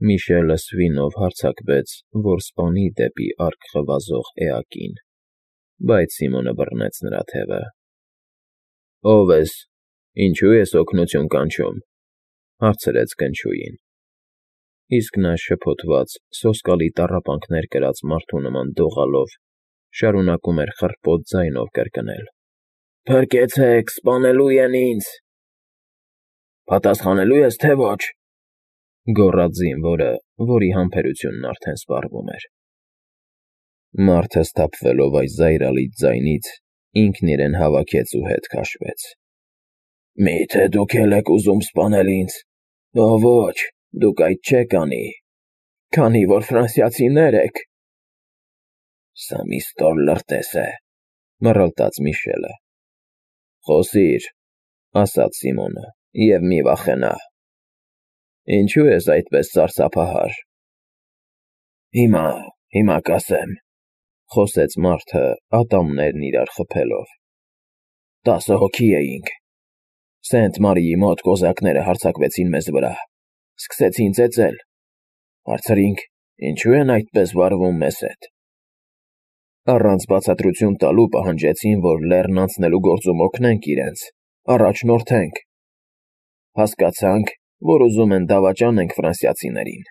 Միշելը սվինով հարձակվեց, որ սպանի դեպի առջև վազող էակին, բայց Սիմոնը բռնեց նրա թևը։ ֊ Ո՞վ ես, ինչու ես օգնություն կանչում,֊ հարցրեց կնչուին։ Իսկ նա շփոթված, սոսկալի տառապանքներ կրած մարդու նման դողալով շարունակում էր խռպոտ ձայնով կրկնել. «Փրկեցեք, սպանելու են ինձ»։ «Պատասխանելու ես, թե ոչ,֊ գոռաց զինվորը, որի համբերությունն արդեն սպառվում էր։ Մարդը սթափվելով այս զայրալից ձայնից, ինքն իրեն հավաքեց ու հետ քաշվեց։ «Մի՞թե դուք էլ եք ուզում սպանել ինձ։ Ոչ, դուք այդ չեք անի, քանի որ ֆրանսիացիներ եք»։ «Սա մի ստոր լրտես է,֊ մռլտաց Միշելը։ «Խոսիր,֊ ասաց Սիմոնը,֊ և մի վախենա։ Ինչու ես այդպես սարսափահար»։ Հիմա կասեմ,֊ խոսեց մարդը, ատամներն իրար խփելով։ 10 հոգի էինք։ Սենտ֊Մարիի մոտ կոզակները հարձակվեցին մեզ վրա, սկսեցին ծեծել։ Հարցրինք՝ ինչու են այդպես վարվում մեզ հետ։ Առանց բացատրություն տալու պահանջեցին, որ լեռն անցնելու գործում օգնենք իրենց, առաջնորդենք։ Հասկացանք, որ ուզում են դավաճանենք ֆրանսիացիներին։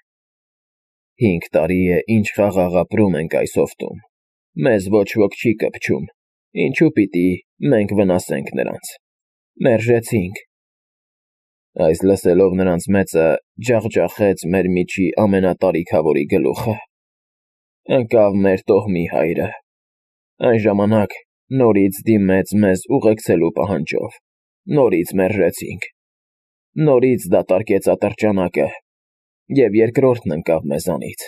5 տարի է, ինչ խաղաղ ապրում ենք այս հովտում, մեզ ոչ ոք չի կպչում, ինչու պիտի մենք վնասենք նրանց։ Մերժեցինք։ Այս լսելով նրանց մեծը ջախջախեց մեր միջի ամենատարիքավորի գլուխը։ Ընկավ մեր տոհմի հայրը։ Այն ժամանակ նորից դիմեց մեզ ուղեկցելու պահանջով, նորից մերժեցինք։ Նորից դատարկեց ատրճանակը, և երկրորդն ընկավ մեզանից,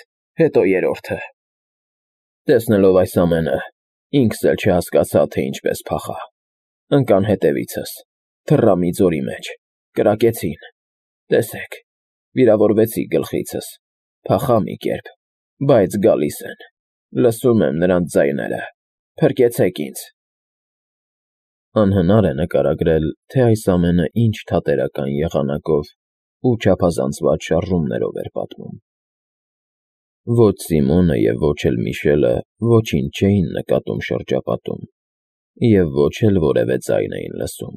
հետո երրորդը։ Տեսնելով այս ամենը, ինքս էլ չհասկացա, թե ինչպես փախա։ Ընկան հետևիցս, թռա մի ձորի մեջ, կրակեցին։ Տեսեք, վիրավորվեցի գլխիցս, փախա մի կերպ, բայց գալիս են, լսում եմ նրանց ձայները, փրկեցեք ինձ։ Անհնար է նկարագրել, թե այս ամենը ինչ թատերական եղանակով ու չափազանցված շարժումներով էր պատմում։ Ոչ Սիմոնը և ոչ էլ Միշելը ոչինչ չէին նկատում շրջապատում, և ոչ էլ որևէ ձայն էին լսում։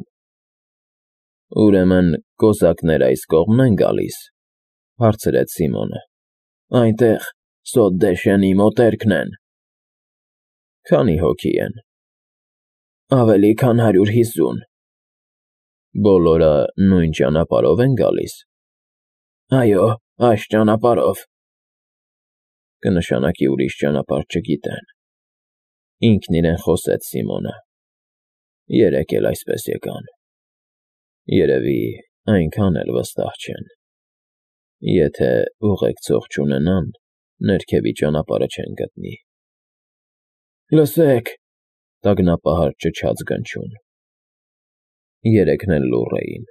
«Ուրեմն կոզակներ այս կողմ են գալիս,֊ հարցրեց Սիմոնը։ Այնտեղ Սոտ֊դե֊Շենի մոտերքն են։ Քանի՞ հոգի են։ Ավելի քան 150։ Բոլորը նույն ճանապարհով են գալիս։ Այո, այս ճանապարհով։ Կնշանակի ուրիշ ճանապարհ չգիտեն։ Ինքն իրեն խոսեց Սիմոնը։ Երեկ էլ այսպես եկան։ Երևի այնքան էլ վստահ չեն։ Եթե ուղեկցող չունենան, ներքևի ճանապարհը չեն գտնի։ Լսեք,֊ տագնապահար ճչաց Գնչուն։ Երեքն էլ լուռ էին։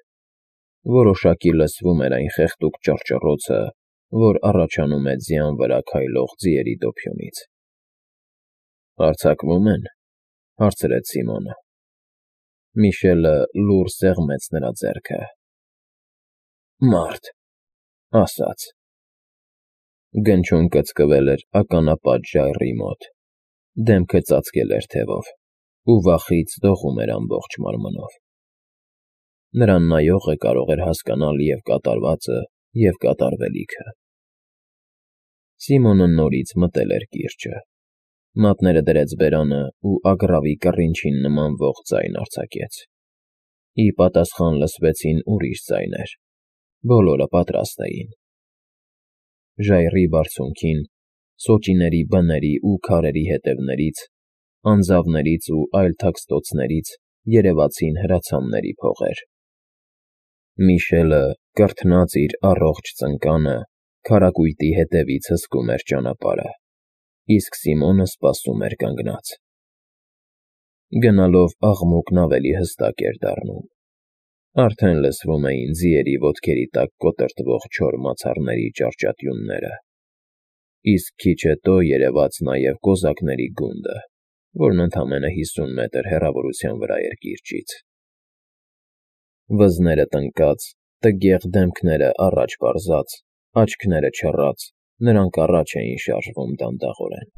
Որոշակի լսվում էր այն խեղդուկ ճռճռոցը, որ առաջանում է ձյան վրա քայլող ձիերի դոփյունից։ Հարձակվո՞ւմ են,֊ հարցրեց Սիմոնը։ Միշելը լուռ սեղմեց նրա ձեռքը։ Մարդ,֊ ասաց։ Գնչուն կծկվել էր ականապատ ժայռի մոտ, դեմքը ծածկել էր թևով ու վախից դողում էր ամբողջ մարմնով։ Նրան նայողը կարող էր հասկանալ և կատարվածը, և կատարվելիքը։ Սիմոնը նորից մտել էր կիրճը, մատները դրեց բերանը ու ագռավի կռինչին նմանվող ձայն արձակեց։ Ի պատասխան լսվեցին ուրիշ ձայներ։ Բոլորը պատրաստ էին։ Ժայռի բարձունքին, սոճիների բների ու քարերի ետևներից, անձավներից ու այլ թաքստոցներից երևացին հրացանների փողեր։ Միշելը, կրթնած իր առողջ ծնկանը, քարակույտի հետևից հսկում էր ճանապարհը, իսկ Սիմոնը սպասում էր կանգնած։ Գնալով աղմուկն ավելի հստակ էր դառնում։ Արդեն լսվում էին ձիերի ոտքերի տակ կոտրտվող չոր մացառների ճարճատյունները, իսկ քիչ հետո երևաց նաև կոզակների գունդը, որն ընդամենը 50 մետր հեռավորության վրա էր կիրճից։ Վզները տնկած, տգեղ դեմքերը առաջ պարզած, Աչքները չռած, նրանք առաջ էին շարժվում դանդաղորեն։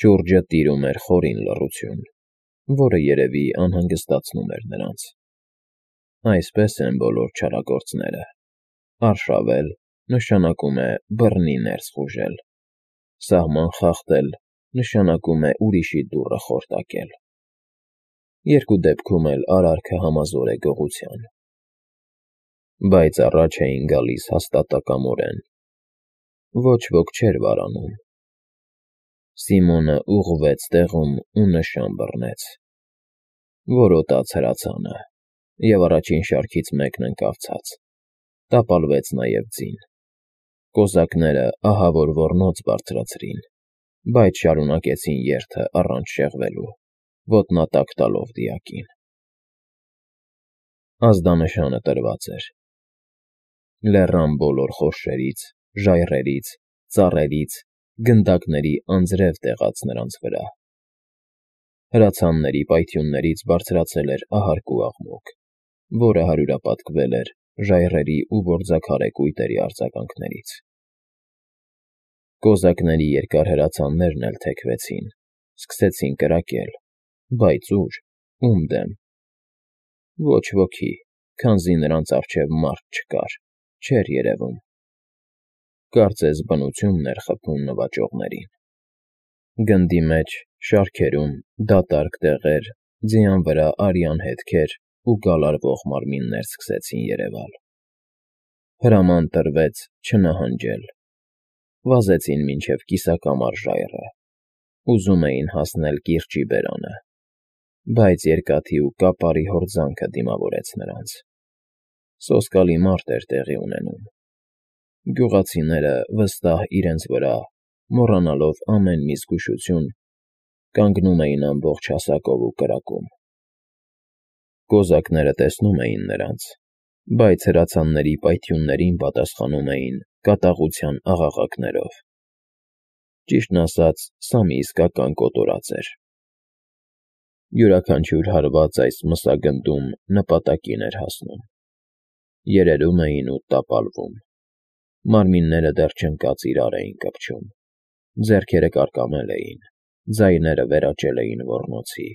Շուրջը տիրում էր խորին լռություն, որը երևի անհանգստացնում էր նրանց։ Այսպես են բոլոր չարագործները։ Արշավել նշանակում է բռնի ներս խուժել, սահման խախտել նշանակում է ուրիշի դուռը խորտակել։ Երկու դեպքում էլ արարքը համազոր է գողության։ Բայց առաջ էին գալիս հաստատակամորեն։ Ոչ ոք չէր վարանում։ Սիմոնը ուղղվեց տեղում ու նշան բռնեց։ Որոտաց հրացանը, և առաջին շարքից մեկն ընկավ ցած, տապալվեց նաև ձին։ Կոզակները ահավոր ոռնոց բարձրացրին, բայց շարունակեցին երթը առանց շեղվելու, ոտնատակ տալով դիակին։ Ազդանշանը տրված էր։ Լեռան բոլոր խորշերից, ժայռերից, ծառերից, գնդակների անձրև տեղաց նրանց վրա։ Հրացանների պայթյուններից բարձրացել էր ահարկու աղմուկ, որը հարյուրապատկվել էր ժայռերի ու գործաքարե կույտերի արձագանքներից։ Կոզակների երկար հրացաններն էլ թեքվեցին, սկսեցին կրակել, բայց ուր, ում դեմ։ Ոչ ոքի, քանզի նրանց առջև մարդ չկար, չէր երևում։ Կարծես բնությունն էր խփում նվաճողներին։ Գնդի մեջ, շարքերում, դատարկ տեղեր, ձյան վրա արյան հետքեր ու գալարվող մարմիններ սկսեցին երևալ։ Հրաման տրվեց չնահանջել։ Վազեցին մինչև կիսակամար ժայռը։ Ուզում էին հասնել կիրճի բերանը, բայց երկաթի ու կապարի հորձանքը դիմավորեց նրանց։ Սոսկալի մարդ էր տեղի ունենում։ Գյուղացիները վստահ իրենց վրա, մոռանալով ամեն մի զգուշություն, կանգնում էին ամբողջ հասակով ու կրակում։ Կոզակները տեսնում էին նրանց, բայց հրացանների պայթյուններին պատասխանում էին կատաղության աղաղակներով։ Ճիշտն ասած, սա մի իսկական կոտորած էր։ Յուրաքանչյուր հարված այս մսագնդում նպատակին էր հասնում։ Երերում էին ու տապալվում։ Մարմինները դեռ չընկած իրար էին կպչում։ Ձեռքերը կարկամել էին, ձայները վերաճել էին ոռնոցի։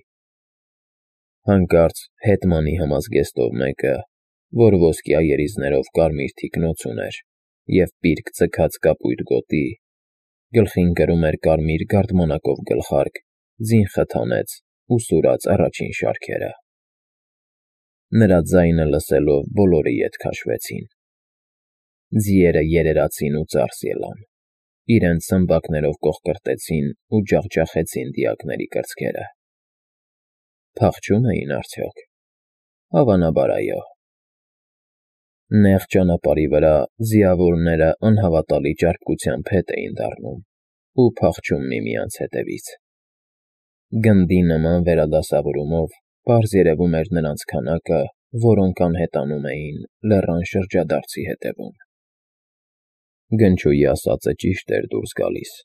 Հանկարծ հետմանի համազգեստով մեկը, որ ոսկյա երիզներով կարմիր թիկնոց ուներ և պիրկ ձգած կապույտ գոտի, գլխին կրում էր կարմիր գարդմանակով գլխարկ, ձին խթանեց ու սուրաց առաջին շարքերը։ Նրա ձայնը լսելով բոլորը ետ քաշվեցին։ Ձիերը երերացին ու ծարս ելան, իրենց սմբակներով կոխկրտեցին ու ջախջախեցին դիակների կրծքերը։ Փախչո՞ւմ էին արդյոք։ Հավանաբար այո։ Նեղ ճանապարհի վրա ձիավորները անհավատալի ճարպկությամբ հետ էին դառնում ու փախչում միմյանց հետևից։ Գնդի նման վերադասավորումով պարզ երևում էր նրանց քանակը, որոնք անհետանում էին լեռան շրջադարձի հետևում։ Գնչուի ասածը ճիշտ էր դուրս գալիս։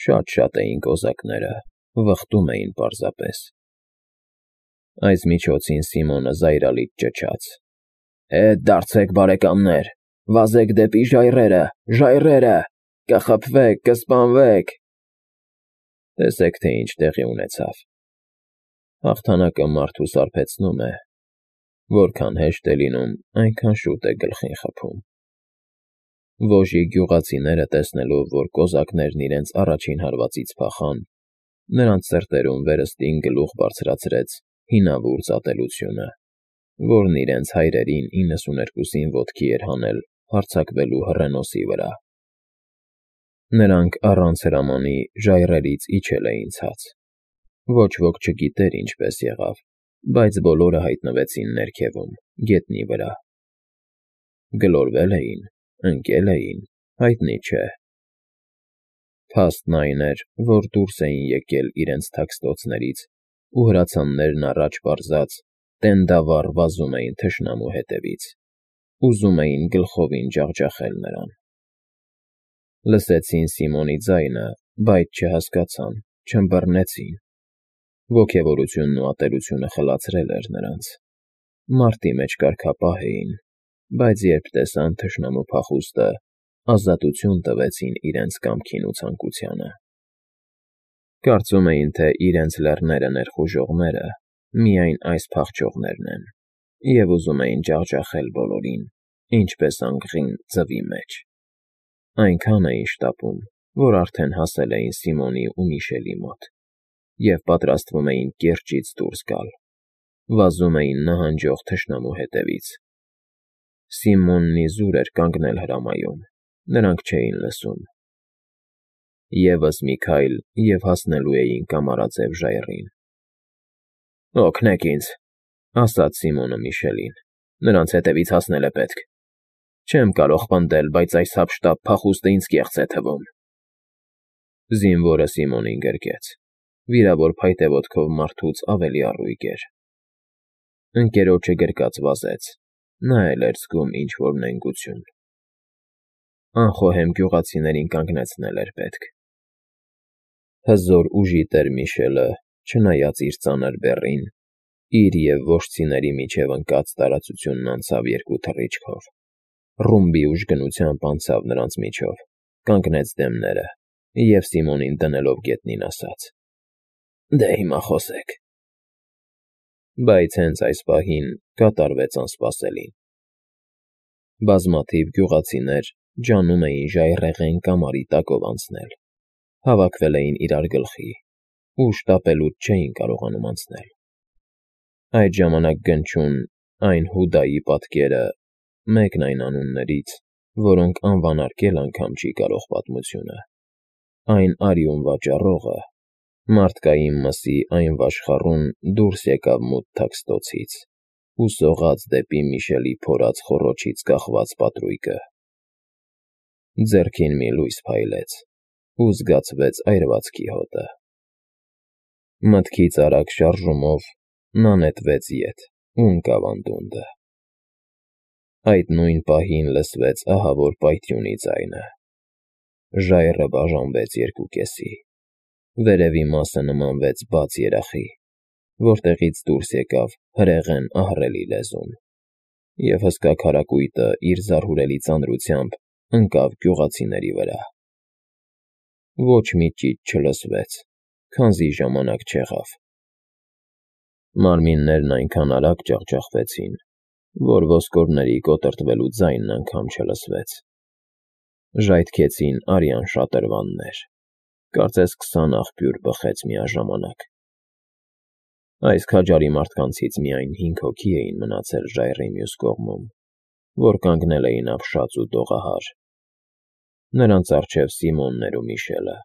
Շատ էին կոզակները, վխտում էին պարզապես։ Այս միջոցին Սիմոնը զայրալից ճչաց. «Հետ դարձեք, բարեկամներ, վազեք դեպի ժայռերը, ժայռերը, կխփվեք, կսպանվեք»։ Տեսեք, թե ինչ տեղի ունեցավ։ Հաղթանակը մարդու սարբեցնում է, որքան հեշտ է լինում, այնքան շուտ է գլխին խփում։ Ոժի գյուղացիները տեսնելով, որ կոզակներն իրենց առաջին հարվածից փախան, նրանց սրտերում վերստին գլուխ բարձրացրեց հինավուրց ատելությունը, որն իրենց հայրերին 92-ին ոտքի էր հանել հարձակվելու հռենոսի վրա։ Նրանք առանց հրամանի ժայռերից իջել էին ցած։ Ոչ ոք չգիտեր ինչպես եղավ, բայց բոլորը հայտնվեցին ներքևում, գետնի վրա։ Գլորվե՞լ էին, ընկե՞լ էին, հայտնի չէ։ Փաստն այն էր, որ դուրս էին եկել իրենց թաքստոցներից ու հրացաններն առաջ պարզած տենդավառ վազում էին թշնամու հետևից, ուզում էին գլխովին ջախջախել նրան։ Լսեցին Սիմոնի ձայնը, բայց չհասկացան, չըմբռնեցին։ Ոգևորությունն ու ատելությունը խլացրել էր նրանց։ Մարտի մեջ կարգապահ էին, բայց երբ տեսան թշնամու փախուստը, ազատություն տվեցին իրենց կամքին ու ցանկությանը։ Կարծում էին, թե իրենց լեռները ներխուժողները միայն այս փախչողներն են, և ուզում էին ջախջախել բոլորին, ինչպես անգղին ձվի մեջ։ Այնքան էին շտապում, որ արդեն հասել էին Սիմոնի ու Միշելի մոտ և պատրաստվում էին կիրճից դուրս գալ, վազում էին նահանջող թշնամու հետևից։ Սիմոնն իզուր էր կանգնել հրամայում, նրանք չէին լսում։ Եվս մի քայլ, և հասնելու էին կամարաձև ժայռին։ «Օգնեք ինձ», ասաց Սիմոնը Միշելին, «նրանց հետևից հասնել է պետք։ Չեմ կարող պնդել, բայց այս հափշտապ փախուստը ինձ կեղծ է թվում»։ Զինվորը Սիմոնին գրկեց։ Վիրավոր փայտե ոտքով մարդուց ավելի առույգ էր։ Ընկերոջը գրկած վազեց, նա էլ էր զգում ինչ֊որ նենգություն։ Անխոհեմ գյուղացիներին կանգնեցնել էր պետք։ Հզոր ուժի տեր Միշելը, չնայած իր ծանր բեռին, իր և ոչխիների միջև ընկած տարածությունն անցավ երկու թռիչքով, ռումբի ուժգնությամբ անցավ նրանց միջով, կանգնեց դեմները և Սիմոնին դնելով գետնին ասաց. «Դե հիմա խոսեք»։ Բայց հենց այս պահին կատարվեց անսպասելին։ Բազմաթիվ գյուղացիներ ջանում էին ժայռերն կամարի տակով անցնել, հավաքվել էին իրար գլխի ու շտապելուց չէին կարողանում անցնել։ Այդ ժամանակ գնչուն այն Հուդայի պատկերը, մեկն այն անուններից, որոնք անվանարկել անգամ չի կարող պատմությունը, այն արյուն վաճառողը, մարդկային մսի այն վաշխառուն դուրս եկավ մութ թաքստոցից ու սողաց դեպի Միշելի փորած խոռոչից կախված պատրույգը։ Ձեռքին մի լույս փայլեց ու զգացվեց այրվածքի հոտը։ Մտքից արագ շարժումով նա նետվեց ետ ու ընկավ անդունդը։ Այդ նույն պահին լսվեց ահավոր պայթյունի ձայնը։ Ժայռը բաժանվեց երկուկեսի, վերևի մասը նմանվեց բաց երախի, որտեղից դուրս եկավ հրեղեն ահռելի լեզուն, և հսկա քարակույտը իր զարհուրելի ծանրությամբ ընկավ գյուղացիների վրա։ Ոչ մի ճիչ չլսվեց, քանզի ժամանակ չեղավ։ Մարմիններն այնքան արագ ջախջախվեցին, որ ոսկորների կոտրտվելու ձայնն անգամ չլսվեց։ Ժայթքեցին արյան շատրվաններ, կարծես 20 աղբյուր բխեց միաժամանակ։ Այս քաջարի մարդկանցից միայն 5 հոգի էին մնացել ժայռի մյուս կողմում, որ կանգնել էին ապշած ու դողահար։ Նրանց առջև Սիմոնն էր ու Միշելը,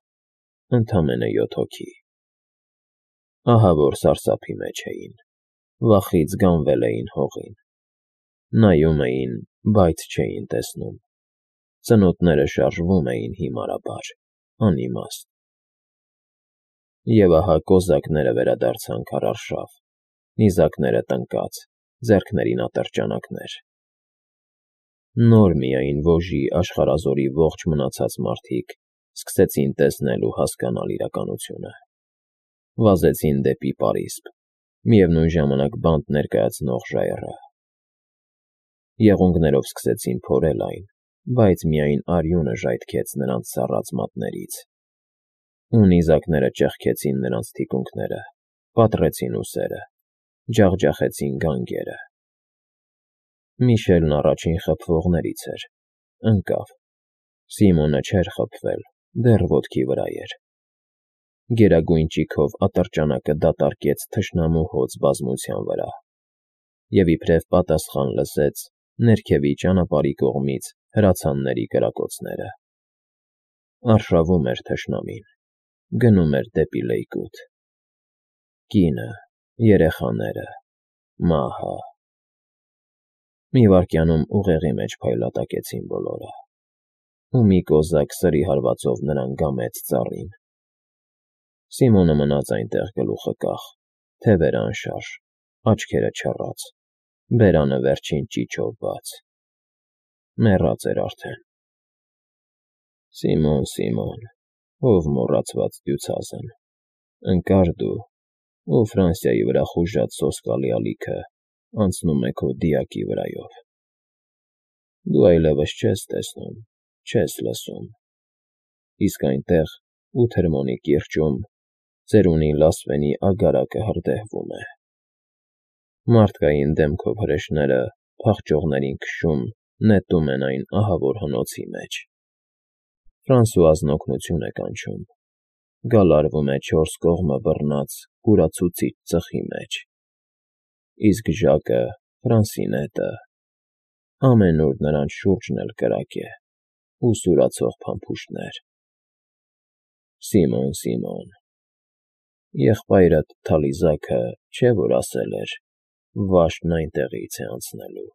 ընդամենը 7 հոգի։ Ահավոր սարսափի մեջ էին, վախից գանվել էին հողին։ Նայում էին, բայց չէին տեսնում։ Ծնոտները շարժվում էին հիմարաբար, անիմաստ։ Եվ ահա կոզակները վերադարձան քարարշավ, նիզակները տնկած, ձեռքներին ատրճանակներ։ Նոր միայն Վոժի աշխարհազորի ողջ մնացած մարդիկ սկսեցին տեսնել ու հասկանալ իրականությունը։ Վազեցին դեպի պարիսպ, միևնույն ժամանակ բանտ ներկայացնող ժայռը։ Եղունգներով սկսեցին փորել այն, բայց միայն արյունը ժայթքեց նրանց սառած մատներից։ Ու նիզակները ճեղքեցին նրանց թիկունքները, պատռեցին ուսերը, ջախջախեցին գանգերը։ Միշելն առաջին խփվողներից էր, ընկավ։ Սիմոնը չէր խփվել, դեռ ոտքի վրա էր։ Գերագույն ճիգով ատրճանակը դատարկեց թշնամու հոծ բազմության վրա, և իբրև պատասխան լսեց ներքևի ճանապարհի կողմից հրացանների կրակոցները։ Արշավում էր թշնամին, գնում էր դեպի լեյկուտ։ Կինը, երեխաները, մահը։ Մի վայրկյանում ուղեղի մեջ փայլատակեցին բոլորը, ու մի կոզակ սրի հարվածով նրան գամեց ծառին։ Սիմոնը մնաց այնտեղ գլուխը կախ, թևերը անշարժ, աչքերը չռած, բերանը վերջին ճիչով բաց։ Մեռած էր արդեն։ Սիմոն, Սիմոն, ով մոռացված դյուցազն, ընկար դու, ու Ֆրանսիայի վրա խուժած սոսկալի ալիքը անցնում է քո դիակի վրայով։ Դու այլևս չես տեսնում, չես լսում։ Իսկ այնտեղ, Ութերմոնի կիրճում, ծերունի լասվենի ագարակը հրդեհվում է։ Մարդկային դեմքով հրեշները, փախչողներին քշում, նետում են այն ահավոր հնոցի մեջ։ Ֆրանսուազն օգնություն է կանչում, գալարվում է չորս կողմը բռնած կուրացուցիչ ծխի մեջ։ Իսկ Ժակը, Ֆրանսինետը, ամենուր նրանց շուրջն էլ կրակ է ու սուրացող փամփուշտներ։ Սիմոն, Սիմոն, եղբայրդ Թալիզաքը չէ որ ասել էր. «Վաշտն այնտեղից է անցնելու»։